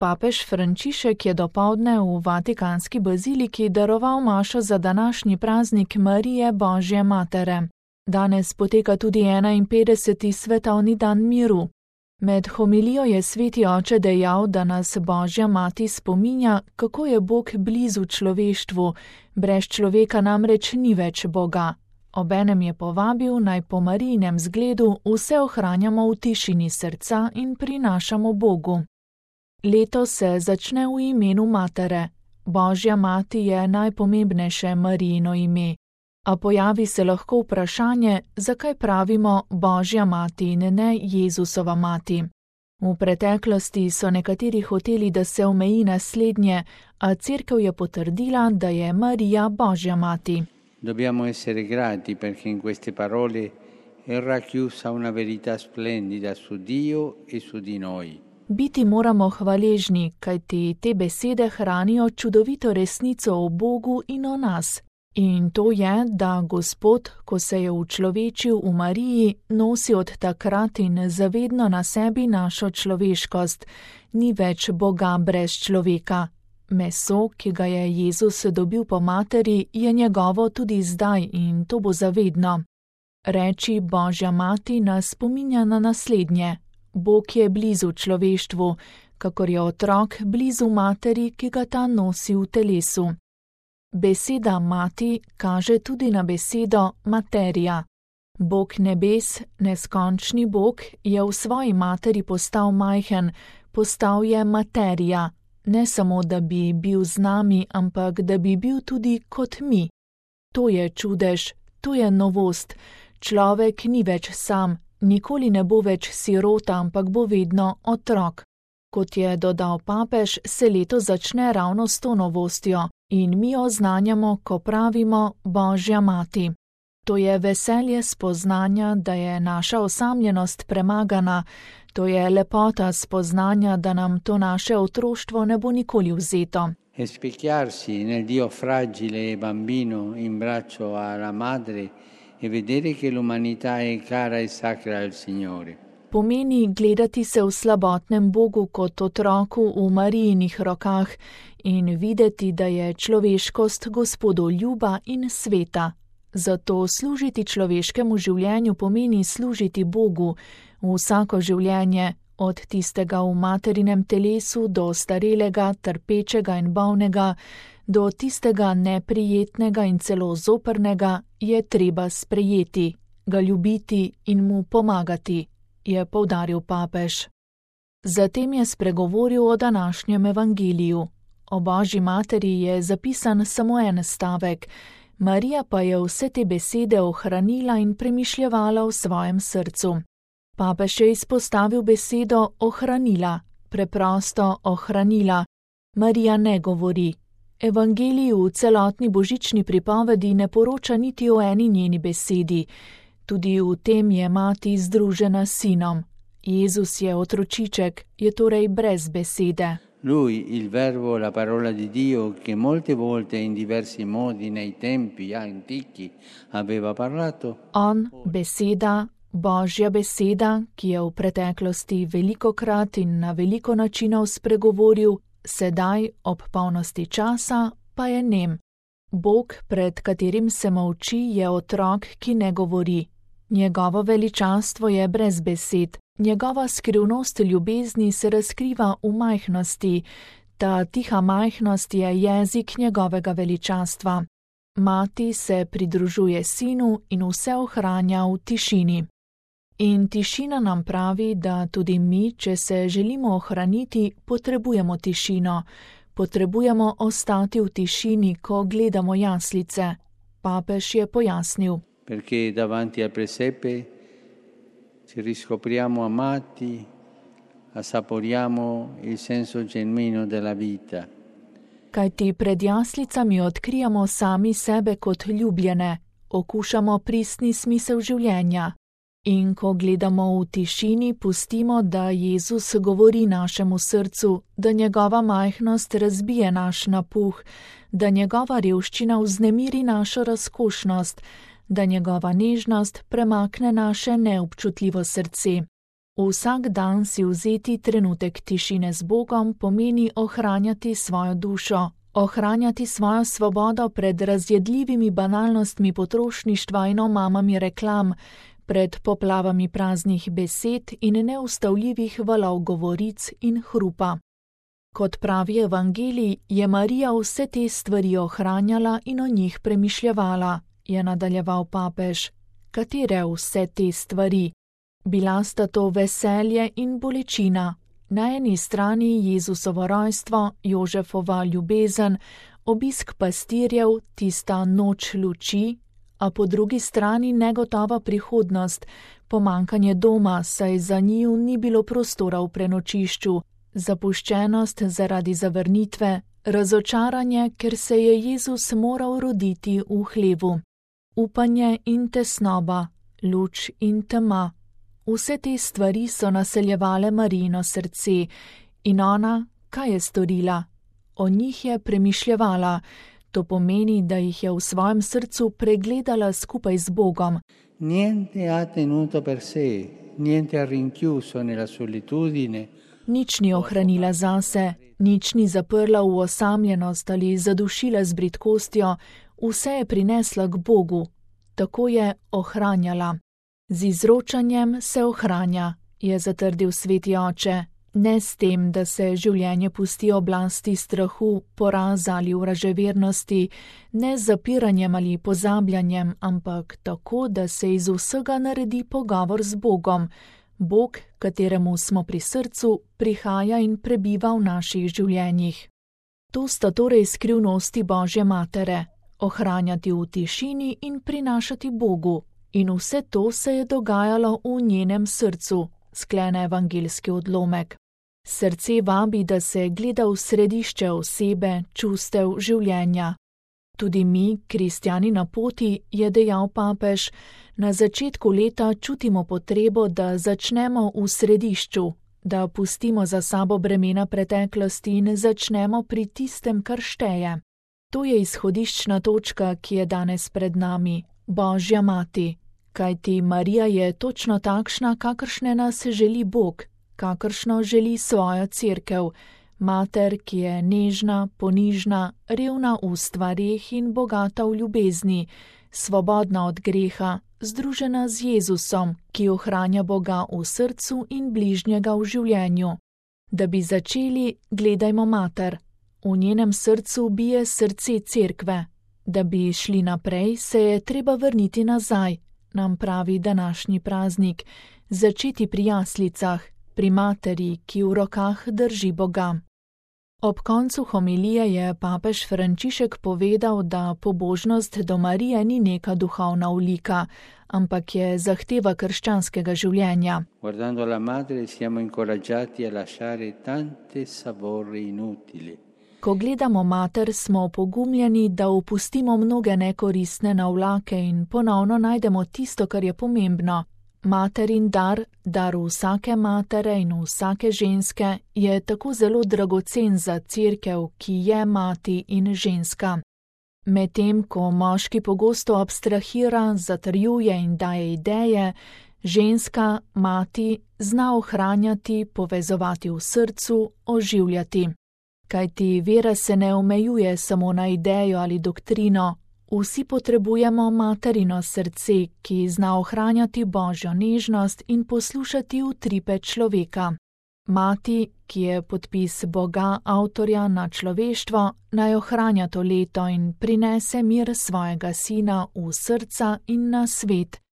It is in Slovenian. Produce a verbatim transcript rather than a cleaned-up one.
Papež Frančišek je dopoldne v Vatikanski baziliki daroval mašo za današnji praznik Marije Božje matere. Danes poteka tudi enainpetdeseti svetovni dan miru. Med homilijo je sveti oče dejal, da nas Božja mati spominja, kako je Bog blizu človeštvu, brez človeka namreč ni več Boga. Obenem je povabil, naj po Marijinem zgledu vse ohranjamo v tišini srca in prinašamo Bogu. Leto se začne v imenu matere. Božja mati je najpomembnejše Marijino ime. A pojavi se lahko vprašanje, zakaj pravimo Božja mati in ne Jezusova mati. V preteklosti so nekateri hoteli, da se omeji naslednje, a cerkev je potrdila, da je Marija Božja mati. Dobbiamo essere grati perché in queste parole è racchiusa una verità splendida su Dio e su di noi. Biti moramo hvaležni, kajti te besede hranijo čudovito resnico o Bogu in o nas. In to je, da Gospod, ko se je učlovečil v Mariji, nosi od takrat in zavedno na sebi našo človeškost. Ni več Boga brez človeka. Meso, ki ga je Jezus dobil po materi, je njegovo tudi zdaj in to bo zavedno. Reči Božja mati nas spominja na naslednje. Bog je blizu človeštvu, kakor je otrok blizu materi, ki ga ta nosi v telesu. Beseda mati kaže tudi na besedo materija. Bog nebes, neskončni Bog, je v svoji materi postal majhen, postal je materija, ne samo, da bi bil z nami, ampak da bi bil tudi kot mi. To je čudež, to je novost. Človek ni več sam, nikoli ne bo več sirota, ampak bo vedno otrok. Kot je dodal papež, se leto začne ravno s to novostjo in mi jo oznanjamo, ko pravimo Božja mati. To je veselje spoznanja, da je naša osamljenost premagana, to je lepota spoznanja, da nam to naše otroštvo ne bo nikoli vzeto. E specchiarsi nel Dio fragile e bambino in braccio alla madre e vedere che l'umanità è cara e sacra al Signore. Pomeni gledati se v slabotnem Bogu kot otroku v Marijinih rokah in videti, da je človeškost Gospodu ljuba in sveta. Zato služiti človeškemu življenju pomeni služiti Bogu vsako življenje, od tistega v materinem telesu do starelega, trpečega in bolnega, do tistega neprijetnega in celo zoprnega, je treba sprejeti, ga ljubiti in mu pomagati, je poudaril papež. Zatem je spregovoril o današnjem evangeliju. O Božji materi je zapisan samo en stavek, Marija pa je vse te besede ohranila in premišljevala v svojem srcu. Papež je izpostavil besedo ohranila, preprosto ohranila. Marija ne govori. Evangelij v celotni božični pripovedi ne poroča niti o eni njeni besedi. Tudi v tem je mati združena s sinom. Jezus je otročiček, je torej brez besede. Lui, il verbo, la parola di Dio, che molte volte in diversi modi nei tempi antichi aveva parlato. On, beseda, Božja beseda, ki je v preteklosti velikokrat in na veliko načinov spregovoril, sedaj, ob polnosti časa, pa je nem. Bog, pred katerim se molči, je otrok, ki ne govori. Njegovo veličanstvo je brez besed, njegova skrivnost ljubezni se razkriva v majhnosti, ta tiha majhnost je jezik njegovega veličanstva. Mati se pridružuje sinu in vse ohranja v tišini. In tišina nam pravi, da tudi mi, če se želimo ohraniti, potrebujemo tišino, potrebujemo ostati v tišini, ko gledamo jaslice. Papež je pojasnil. Perché davanti al presepe ci riscopriamo amati, assaporiamo il senso genuino della vita. Kajti pred jaslicami odkrijamo sami sebe kot ljubljene, okušamo pristni smisel življenja. In ko gledamo v tišini, pustimo, da Jezus govori našemu srcu, da njegova majhnost razbije naš napuh, da njegova revščina vznemiri našo razkošnost, da njegova nežnost premakne naše neobčutljivo srce. Vsak dan si vzeti trenutek tišine z Bogom pomeni ohranjati svojo dušo, ohranjati svojo svobodo pred razjedljivimi banalnostmi potrošništva in omamami reklam, pred poplavami praznih besed in neustavljivih valov govoric in hrupa. Kot pravi evangelij, je Marija vse te stvari ohranjala in o njih premišljevala, je nadaljeval papež. Katere vse te stvari? Bila sta to veselje in bolečina. Na eni strani Jezusovo rojstvo, Jožefova ljubezen, obisk pastirjev, tista noč luči, a po drugi strani negotova prihodnost, pomankanje doma, saj za njiju ni bilo prostora v prenočišču, zapuščenost zaradi zavrnitve, razočaranje, ker se je Jezus moral roditi v hlevu, upanje in tesnoba, luč in tema. Vse te stvari so naseljevale Marijino srce in ona, kaj je storila? O njih je premišljevala, to pomeni, da jih je v svojem srcu pregledala skupaj z Bogom. Niente ha tenuto per sé, niente ha rinchiuso nella solitudine. Nič ni ohranila zase, nič ni zaprla v osamljenost ali zadušila z bridkostjo, vse je prinesla k Bogu, tako je ohranjala. Z izročanjem se ohranja, je zatrdil sveti oče, ne s tem, da se življenje pusti oblasti strahu, poraza ali vraževernosti, ne z zapiranjem ali pozabljanjem, ampak tako, da se iz vsega naredi pogovor z Bogom. Bog, kateremu smo pri srcu, prihaja in prebiva v naših življenjih. To sta torej skrivnosti Božje matere, ohranjati v tišini in prinašati Bogu. In vse to se je dogajalo v njenem srcu, sklene evangeljski odlomek. Srce vabi, da se gleda v središče osebe, čustev, življenja. Tudi mi, kristjani na poti, je dejal papež, na začetku leta čutimo potrebo, da začnemo v središču, da pustimo za sabo bremena preteklosti in začnemo pri tistem, kar šteje. To je izhodiščna točka, ki je danes pred nami, Božja mati. Kajti Marija je točno takšna, kakršne nas želi Bog, kakršno želi svojo cerkev, mater, ki je nežna, ponižna, revna v stvareh in bogata v ljubezni, svobodna od greha, združena z Jezusom, ki ohranja Boga v srcu in bližnjega v življenju. Da bi začeli, gledajmo mater. V njenem srcu bije srce cerkve. Da bi šli naprej, se je treba vrniti nazaj, nam pravi današnji praznik, začeti pri jaslicah, pri materi, ki v rokah drži Boga. Ob koncu homilije je papež Frančišek povedal, da pobožnost do Marije ni neka duhovna olika, ampak je zahteva krščanskega življenja. Guardando la madre siamo incoraggiati a lasciare tante savore inutili. Ko gledamo mater, smo opogumljeni, da opustimo mnoge nekoristne navlake in ponovno najdemo tisto, kar je pomembno. Materin dar, dar vsake matere in vsake ženske, je tako zelo dragocen za cerkev, ki je mati in ženska. Medtem ko moški pogosto abstrahira, zatrjuje in daje ideje, ženska, mati, zna ohranjati, povezovati v srcu, oživljati. Kajti vera se ne omejuje samo na idejo ali doktrino, vsi potrebujemo materino srce, ki zna ohranjati Božjo nežnost in poslušati utripe človeka. Mati, ki je podpis Boga, avtorja na človeštvo, naj ohranja to leto in prinese mir svojega sina v srca in na svet,